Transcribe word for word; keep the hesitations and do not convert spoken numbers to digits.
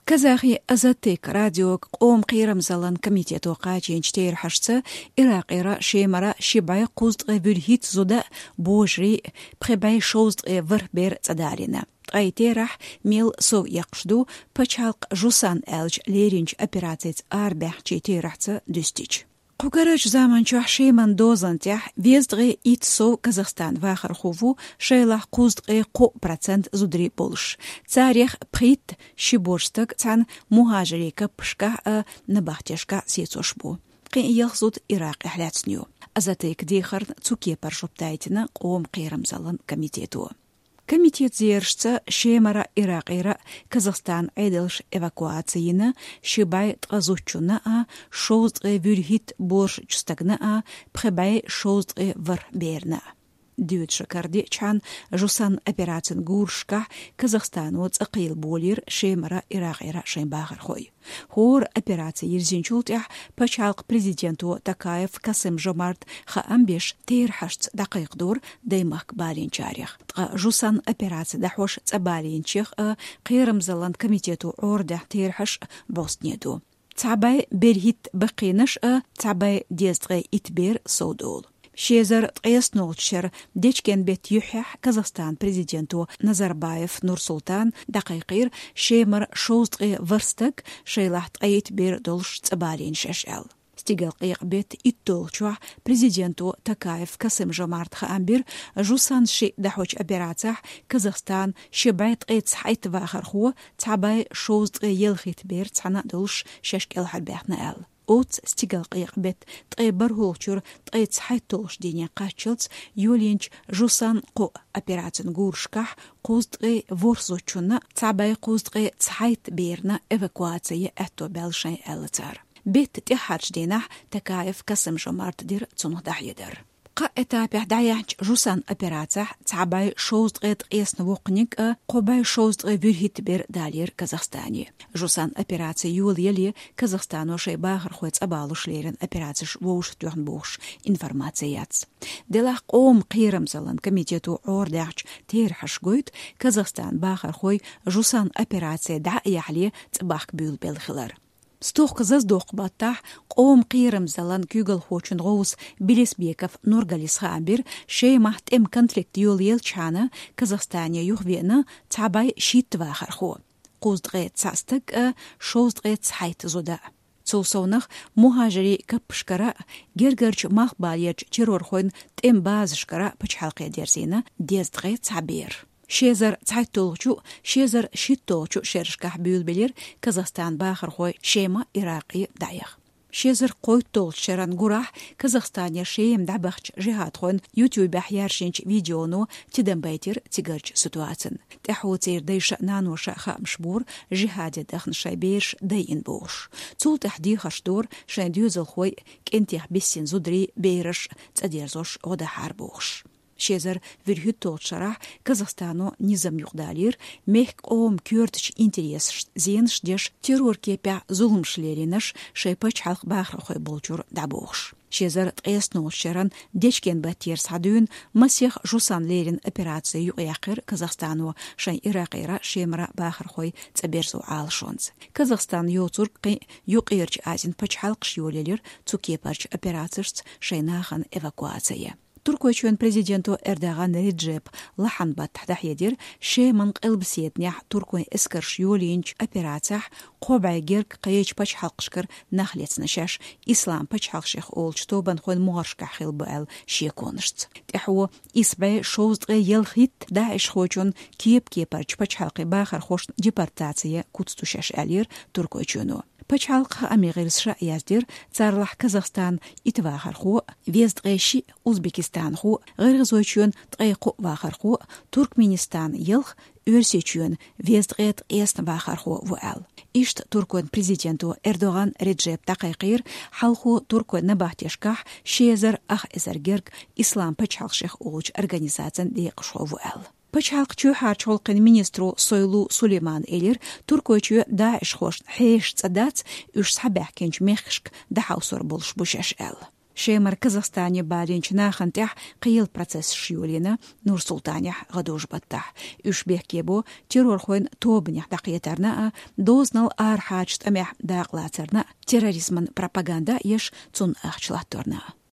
Казахи Азаттык радиога къоман кхерамзаллан комитето кхачийнача терахьашца, Иракъера Шемара ши бӀаь кхузткъеи вуьрхӀитта зуда, божарий, пхи бӀаь шовзткъеи ворхӀ бер цӀадалийна. Ткъаь терахь мел сов эккхаш ду, пачхьалкх Жусан аьлча леринча операцица арабаьхначий терахьца дуьстича. Кху карарча заман чухь Шеман дозан тӀа везткъеи итт сов Казахстана вахархо ву, шоайлахь кхузткъеи кхоъ процент зударий болаш. Царех пхийтта, ши божа стаг, цхьана мухӀажарий каппашкахь а, набахтешкахь а сецош бу. Кхин а ялх зуда Иракъехь лаьцна ю. Азаттыка дехарна цу кепара жоп дайтина къоман кхерамзаллан комитето. Комитета зерашца, Шемара, Иракъера Казахстана Ӏедалша эвакуаци йина ши бӀаь ткъаь зудчунна а, шовзткъеи вуьрхӀитта божарчу стагана а, пхи бӀаь шовзткъеи ворхӀ берна а. Доьдуш кара диъча хана Жусан операцин гурашкахь Казахстано цӀа кхийла болийра Шемара, Иракъера шайн бахархой. ХӀора операци йирзинчул тӀаьхьа пачхьалкхан президенто Токаев Касым-Жомарта хаам беш, терахьашца дӀакхайкхадора даймахка балийначарех. Ткъа Жусан операци дӀахьош цӀа балийначех а кхерамзаллан комитето Ӏорадахьа терахьаш а бӀостанеду. Цхьа бӀаь берхӀитта баккхийнаш а, цхьа бӀаь дезткъеи итт бер совдолу. Ши эзар ткъаесналгӀачу шеран дечкен-беттан юьххьехь Казахстана президенто Назарбаев Нурсултана дӀакхайкхийра Шемара шовзткъеи ворхӀ стаг, шоайлахь ткъаитт бер долуш, цӀа балийна шаьш аьлла. Стигалкъекъа-беттан итталгӀачохь президенто Токаев Касым-Жомарта хаам бира, Жусан шиъ дӀахьочу операцехь Казахстана ши бӀаь ткъе цхьайтта вахархо, цхьа бӀаь шовзткъеи ялхитта бер цхьаьна а долуш, шаьш кӀелхьарбаьхна аьлла. Оццу стигалкъекъа-беттан ткъе бархӀалгӀачуьра ткъе цхьайтталгӀачу дийне кхаччалц йолийначу Жусан кху операцин гурашкахь кхузткъеи ворхӀ зудчунна, цхьа бӀаь кхузткъеи цхьайтта берна эвакуаци ян аьтто баьлла шайн аьлла цара. Беттан тӀаьххьарчу дийнахь Токаев Касым-Жомарта дира цунах дӀахьедар. Кхаа этапехь дӀаяьхьначу Жусан операцехь цхьа бӀаь шовзткъеи ткъаесна воккханиг а, кхо бӀаь шовзткъеи вуьрхӀитта бер далийра Казахстане. Жусан операци йолаяле Казахстано шайн бахархой цӀа балуш лерина операцеш вовшахтоьхна бохуш информаци яц. Делахь къоман кхерамзаллан комитето Ӏорадахьачу терахьаша гойту, Казахстана бахархой Жусан операци дӀа а яхьале цӀа бахка буьйлабелла хилар. Стохка заздоккху баттахь къоман кхерамзаллан куьйгалхочун гӀовса Белесбеков Нургалис хаам бира, Шемахь тӀеман конфликт йолаелча хана Казахстане юхавеана цхьа бӀаь шийтта вахархо, кхузткъеи цхьаъ стаг а, шовзткъеи цхьайтта зуда а. Цул совнах мухӀажарийн каппашкара а, гергарчу малхбалерчу террорхойн тӀеман базашкара а пачхьалкхе дерзийна дезткъеи цхьа бер. Ши эзар цхьайтталгӀачу, ши эзар шийтталгӀачу шерашкахь буьйлабелира Казахстана бахархой Шема, Иракъе дӀаяха. Ши эзар кхойтталгӀачу шеран гурахь Казахстанера Шема дӀабахча жихӀадхойн YouTube-ехь яржийначу видеоно тидам байтира цигарчу ситуацина. ТӀаьхьо церан дайша а, наноша а хаамаш бора жихӀаде дахна шайн бераш дайина бохуш. Цул тӀаьхьа дехарш дора шайн доьзалхой кӀентех биссина зударий, бераш цӀа дерзош гӀо дахьара бохуш. Ши эзар вуьрхӀитталгӀачу шарахь Казахстано низам юкъадалийра, мехкан, къоман коьртачу интересашна зенаш деш, террор кепехь зуламаш лелийнарш шайн пачхьалкхан бахархой болчуьра дӀабохуш. Ши эзар ткъаесналгӀачу шеран дечкен-баттера схьадуьйна масех Жусан леррина операци юкъаяьккхира Казахстано шайн Иракъера, Шемара бахархой цӀа берзо Ӏалашонца. Казахстан йоцург кхин а Юккъерчу Азин пачхьалкхаш йолаелира цу кепарчу операцешца шайн нахана эвакуаци ян. Туркойчоьнан президенто Эрдоган Реджепа лахьан баттахь дӀахьедира, Шеман къилбаседанехь туркойн эскарша йолийначу операцехь кхо бӀе герга кхечу пачхьалкхашкара нах лецна шаьш Ислам пачхьалкх шех олучу тобанхойн могӀаршкахь хилла бу аьлла шеконашца. ТӀаьхьо исс бӀе шовзткъе ялхитта даӀишхочун кеп-кепарчу пачхьалкхийн бахархошна депортаци ян куц ду шаьш аьллера Туркойчоьно. Пачхьалкхан хаамийн гӀирсаша а яздира, царлахь Казахстана итт вахархо, везткъе шиъ узбекистанхо, ГӀиргӀазойчоьнан ткъе кхоъ вахархо, Туркменистанан ялх, Оьрсийчоьнан везткъе ткъесна вахархо ву аьлла. Иштта туркойн президенто Эрдоган Реджепа дӀакхайкхийра, хьалхо туркойн набахтешкахь ши эзар ах эзар герга Ислам пачхьалкх шех олучу организацин декъашхо ву аьлла. Пачхьалкхан чоьхьарчу гӀуллакхийн министро Сойлу Сулеймана элира, Туркойчоь даӀишхошна хьеша цӀа дац, уьш схьабаьхкинчу мехкашка дӀахьовсор болуш бу шаьш аьлла. Шемара Казахстане балийнача нахана тӀехь кхийла процессаш йолийна Нур-Султанехь гӀадужу-баттахь. Уьш бехке бу террорхойн тобанех дӀакхетарна а, дозанал арахьарчу тӀамехь дакъалацарна а, терроризман пропаганда а еш, цунна ахча латторна а.